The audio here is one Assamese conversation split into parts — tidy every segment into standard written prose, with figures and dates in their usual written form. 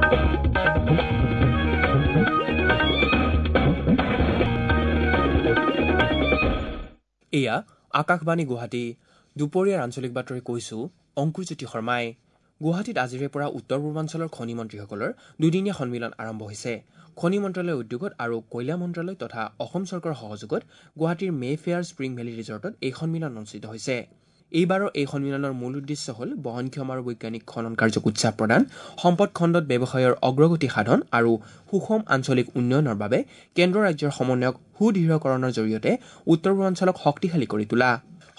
এয়া আকাশবাণী গুৱাহাটী। দুপৰীয়াৰ আঞ্চলিক বাতৰি কৈছো অংকুৰজ্যোতি শৰ্মাই। গুৱাহাটীত আজিৰে পৰা উত্তৰ পূৰ্বাঞ্চলৰ খনি মন্ত্ৰীসকলৰ দুদিনীয়া সন্মিলন আৰম্ভ হৈছে। খনি মন্ত্ৰালয়ৰ উদ্যোগত আৰু কয়লা মন্ত্ৰালয় তথা অসম চৰকাৰৰ সহযোগত গুৱাহাটীৰ মেফেয়াৰ স্প্ৰিং ভেলী ৰিজৰ্টত এই সন্মিলন অনুষ্ঠিত হৈছে। এইবাৰৰ এই সন্মিলনৰ মূল উদ্দেশ্য হ'ল বহনক্ষম আৰু বৈজ্ঞানিক খনন কাৰ্যক উৎসাহ প্ৰদান, সম্পদ খণ্ডত ব্যৱসায়ৰ অগ্ৰগতি সাধন আৰু সুষম আঞ্চলিক উন্নয়নৰ বাবে কেন্দ্ৰ ৰাজ্যৰ সমন্বয়ক সুদৃঢ়কৰণৰ জৰিয়তে উত্তৰ পূৰ্বাঞ্চলক শক্তিশালী কৰি তোলা।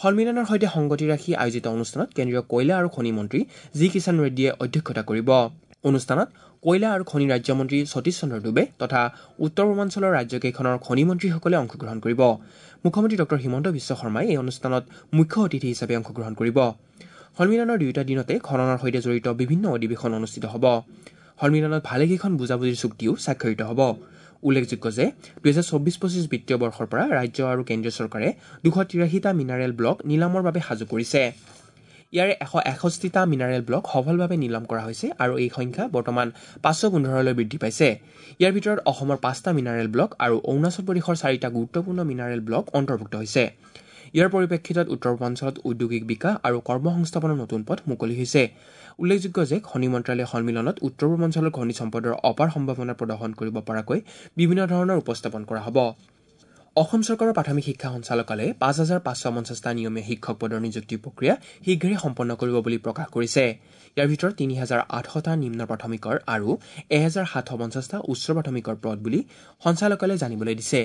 সন্মিলনৰ সৈতে সংগতি ৰাখি আয়োজিত অনুষ্ঠানত কেন্দ্ৰীয় কয়লা আৰু খনি মন্ত্ৰী জি কিষাণ ৰেড্ডীয়ে অধ্যক্ষতা কৰিব। অনুষ্ঠানত কয়লা আৰু খনি ৰাজ্যমন্ত্ৰী সতীশ চন্দ্ৰ ডুবে তথা উত্তৰ পূৰ্বাঞ্চলৰ ৰাজ্যকেইখনৰ খনি মন্ত্ৰীসকলে অংশগ্ৰহণ কৰিব। মুখ্যমন্ত্ৰী ডঃ হিমন্ত বিশ্ব শৰ্মাই এই অনুষ্ঠানত মুখ্য অতিথি হিচাপে অংশগ্ৰহণ কৰিব। সন্মিলনৰ দুয়োটা দিনতে খননৰ সৈতে জড়িত বিভিন্ন অধিৱেশন অনুষ্ঠিত হ'ব। সন্মিলনত ভালেকেইখন বুজাবুজিৰ চুক্তিও স্বাক্ষৰিত হ'ব। উল্লেখযোগ্য যে 2024-25 বিত্তীয় বৰ্ষৰ পৰা ৰাজ্য আৰু কেন্দ্ৰীয় চৰকাৰে 283টা মিনাৰেল ব্লক নিলামৰ বাবে সাজু কৰিছে। ইয়াৰে 161টা মিনাৰেল ব্লক সফলভাৱে নিলাম কৰা হৈছে আৰু এই সংখ্যা বৰ্তমান 515লৈ বৃদ্ধি পাইছে। ইয়াৰ ভিতৰত অসমৰ 5টা মিনাৰেল ব্লক আৰু অৰুণাচল প্ৰদেশৰ 4টা গুৰুত্বপূৰ্ণ মিনাৰেল ব্লক অন্তৰ্ভুক্ত হৈছে। ইয়াৰ পৰিপ্ৰেক্ষিতত উত্তৰ পূৰ্বাঞ্চলত ঔদ্যোগিক বিকাশ আৰু কৰ্মসংস্থাপনৰ নতুন পথ মুকলি হৈছে। উল্লেখযোগ্য যে খনি মন্ত্ৰালয়ে সন্মিলনত উত্তৰ পূৰ্বাঞ্চলৰ খনিজ সম্পদৰ অপাৰ সম্ভাৱনা প্ৰদৰ্শন কৰিব পৰাকৈ বিভিন্ন ধৰণৰ উপস্থাপন কৰা হ'ব। অসম চৰকাৰৰ প্ৰাথমিক শিক্ষা সঞ্চালকালয়ে 5550টা নিয়মীয়া শিক্ষক পদৰ নিযুক্তি প্ৰক্ৰিয়া শীঘ্ৰে সম্পন্ন কৰিব বুলি প্ৰকাশ কৰিছে। ইয়াৰ ভিতৰত 3800টা নিম্ন প্ৰাথমিকৰ আৰু 1750টা উচ্চ প্ৰাথমিকৰ পদ বুলি সঞ্চালকালয়ে জানিবলৈ দিছে।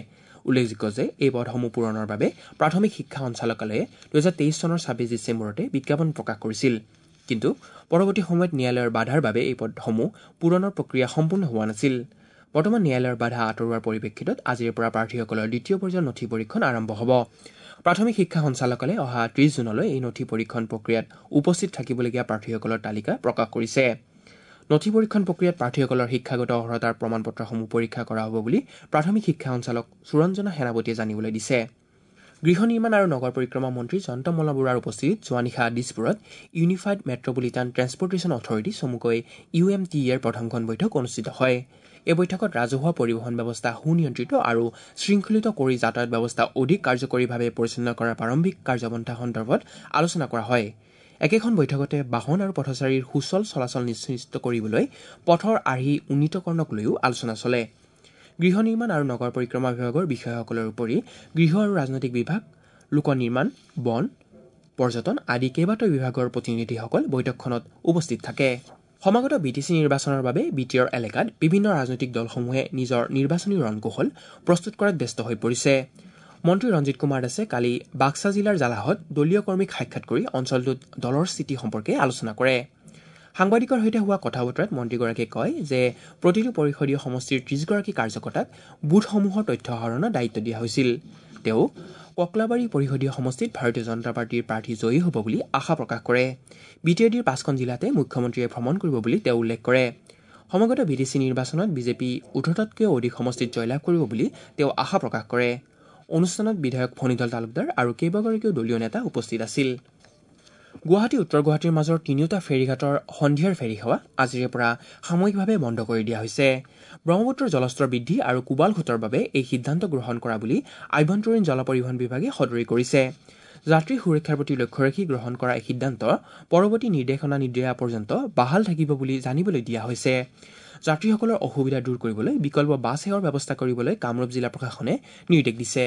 উল্লেখযোগ্য যে এই পদসমূহ পূৰণৰ বাবে প্ৰাথমিক শিক্ষা সঞ্চালকালয়ে 2023 চনৰ 26 ডিচেম্বৰতে বিজ্ঞাপন প্ৰকাশ কৰিছিল। কিন্তু পৰৱৰ্তী সময়ত ন্যায়ালয়ৰ বাধাৰ বাবে এই পদসমূহ পূৰণৰ প্ৰক্ৰিয়া সম্পূৰ্ণ হোৱা নাছিল। বৰ্তমান ন্যায়ালয়ৰ বাধা আঁতৰোৱাৰ পৰিপ্ৰেক্ষিতত আজিৰে পৰা প্ৰাৰ্থীসকলৰ দ্বিতীয় পৰ্যায়ৰ নথি পৰীক্ষণ আৰম্ভ হ'ব। প্ৰাথমিক শিক্ষা সঞ্চালকালয়ে অহা 30 জুনলৈ এই নথি পৰীক্ষণ প্ৰক্ৰিয়াত উপস্থিত থাকিবলগীয়া প্ৰাৰ্থীসকলৰ তালিকা প্ৰকাশ কৰিছে। নথি পৰীক্ষণ প্ৰক্ৰিয়াত প্ৰাৰ্থীসকলৰ শিক্ষাগত অৰ্হতাৰ প্ৰমাণপত্ৰসমূহ পৰীক্ষা কৰা হ'ব বুলি প্ৰাথমিক শিক্ষা সঞ্চালক সুৰঞ্জনা সেনাপতিয়ে জানিবলৈ দিছে। গৃহ নিৰ্মাণ আৰু নগৰ পৰিক্ৰমা মন্ত্ৰী জয়ন্ত মল্ল বৰুৱাৰ উপস্থিতিত যোৱা নিশা দিছপুৰত ইউনিফাইড মেট্ৰপলিটান ট্ৰেন্সপৰ্টেশ্যন অথৰিটি চমুকৈ UMTA-ৰ প্ৰথমখন বৈঠক অনুষ্ঠিত হয়। এই বৈঠকত ৰাজহুৱা পৰিবহণ ব্যৱস্থা সুনিয়ন্ত্ৰিত আৰু শৃংখলিত কৰি যাতায়াত ব্যৱস্থা অধিক কাৰ্যকৰীভাৱে পৰিচালনা কৰাৰ প্ৰাৰম্ভিক কাৰ্যপন্থা সন্দৰ্ভত আলোচনা কৰা হয়। একেখন বৈঠকতে বাহন আৰু পথচাৰীৰ সুচল চলাচল নিশ্চিত কৰিবলৈ পথৰ আৰ্হি উন্নীতকৰণক লৈও আলোচনা চলে। গৃহ নিৰ্মাণ আৰু নগৰ পৰিক্ৰমা বিভাগৰ বিষয়াসকলৰ উপৰি গৃহ আৰু ৰাজনৈতিক বিভাগ, লোক নিৰ্মাণ, বন, পৰ্যটন আদি কেইবাটাও বিভাগৰ প্ৰতিনিধিসকল বৈঠকখনত উপস্থিত থাকে। সমাগত বিটিচি নিৰ্বাচনৰ বাবে বিটিআৰ এলেকাত বিভিন্ন ৰাজনৈতিক দলসমূহে নিজৰ নিৰ্বাচনী ৰণকৌশল প্ৰস্তুত কৰাত ব্যস্ত হৈ পৰিছে। মন্ত্ৰী ৰঞ্জিত কুমাৰ দাসে কালি বাক্সা জিলাৰ জালাহত দলীয় কৰ্মীক সাক্ষাৎ কৰি অঞ্চলটোত দলৰ স্থিতি সম্পৰ্কে আলোচনা কৰে। সাংবাদিকৰ সৈতে হোৱা কথা বতৰাত মন্ত্ৰীগৰাকীয়ে কয় যে প্ৰতিটো পৰিষদীয় সমষ্টিৰ 30গৰাকী কাৰ্যকৰ্তাক বুথসমূহৰ তথ্য আহৰণৰ দায়িত্ব দিয়া হৈছিল। তেওঁ ককলাবাৰী পৰিষদীয় সমষ্টিত ভাৰতীয় জনতা পাৰ্টীৰ প্ৰাৰ্থী জয়ী হ'ব বুলি আশা প্ৰকাশ কৰে। বিটিআৰৰ 5খন জিলাতে মুখ্যমন্ত্ৰীয়ে ভ্ৰমণ কৰিব বুলি তেওঁ উল্লেখ কৰে। সমাগত বিটিচি নিৰ্বাচনত বিজেপি 18টাতকৈও অধিক সমষ্টিত জয়লাভ কৰিব বুলি তেওঁ আশা প্ৰকাশ কৰে। অনুষ্ঠানত বিধায়ক ফণীধল তালুকদাৰ আৰু কেইবাগৰাকীও দলীয় নেতা উপস্থিত আছিল। গুৱাহাটী উত্তৰ গুৱাহাটীৰ মাজৰ তিনিওটা ফেৰীঘাটৰ সন্ধিয়াৰ ফেৰী সেৱা আজিৰে পৰা সাময়িকভাৱে বন্ধ কৰি দিয়া হৈছে। ব্ৰহ্মপুত্ৰৰ জলস্তৰ বৃদ্ধি আৰু কোবাল সোঁতৰ বাবে এই সিদ্ধান্ত গ্ৰহণ কৰা বুলি আভ্যন্তৰীণ জল পৰিবহণ বিভাগে সদৰি কৰিছে। যাত্ৰী সুৰক্ষাৰ প্ৰতি লক্ষ্য ৰাখি গ্ৰহণ কৰা এই সিদ্ধান্ত পৰৱৰ্তী নিৰ্দেশনা নিদিয়া পৰ্যন্ত বাহাল থাকিব বুলি জানিবলৈ দিয়া হৈছে। যাত্ৰীসকলৰ অসুবিধা দূৰ কৰিবলৈ বিকল্প বাছ সেৱাৰ ব্যৱস্থা কৰিবলৈ কামৰূপ জিলা প্ৰশাসনে নিৰ্দেশ দিছে।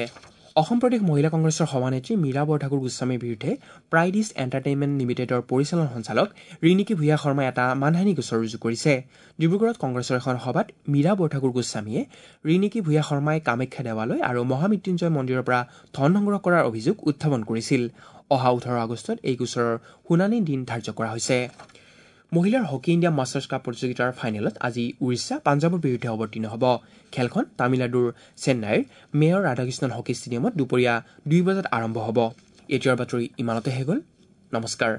অসম প্ৰদেশ মহিলা কংগ্ৰেছৰ সভানেত্ৰী মীৰা বৰঠাকুৰ গোস্বামীৰ বিৰুদ্ধে প্ৰাইড ইষ্ট এণ্টাৰটেইনমেণ্ট লিমিটেডৰ পৰিচালন সঞ্চালক ৰিণিকী ভূঞা শৰ্মাই এটা মানহানি গোচৰ ৰুজু কৰিছে। ডিব্ৰুগড়ত কংগ্ৰেছৰ এখন সভাত মীৰা বৰঠাকুৰ গোস্বামীয়ে ৰিণিকী ভূঞা শৰ্মাই কামাখ্যা দেৱালয় আৰু মহামৃত্যুঞ্জয় মন্দিৰৰ পৰা ধন সংগ্ৰহ কৰাৰ অভিযোগ উত্থাপন কৰিছিল। অহা 18 আগষ্টত এই গোচৰৰ শুনানিৰ দিন ধাৰ্য কৰা হৈছে। মহিলাৰ হকী ইণ্ডিয়া মাষ্টাৰ্ছ কাপ প্ৰতিযোগিতাৰ ফাইনেলত আজি উৰিষ্যা পাঞ্জাৱৰ বিৰুদ্ধে অৱতীৰ্ণ হ'ব। খেলখন তামিলনাডুৰ চেন্নাইৰ মেয়ৰ ৰাধাকৃষ্ণন হকী ষ্টেডিয়ামত দুপৰীয়া 2 বজাত আৰম্ভ হ'ব। এতিয়াৰ বাতৰি ইমানতে শেষ হ'ল। নমস্কাৰ।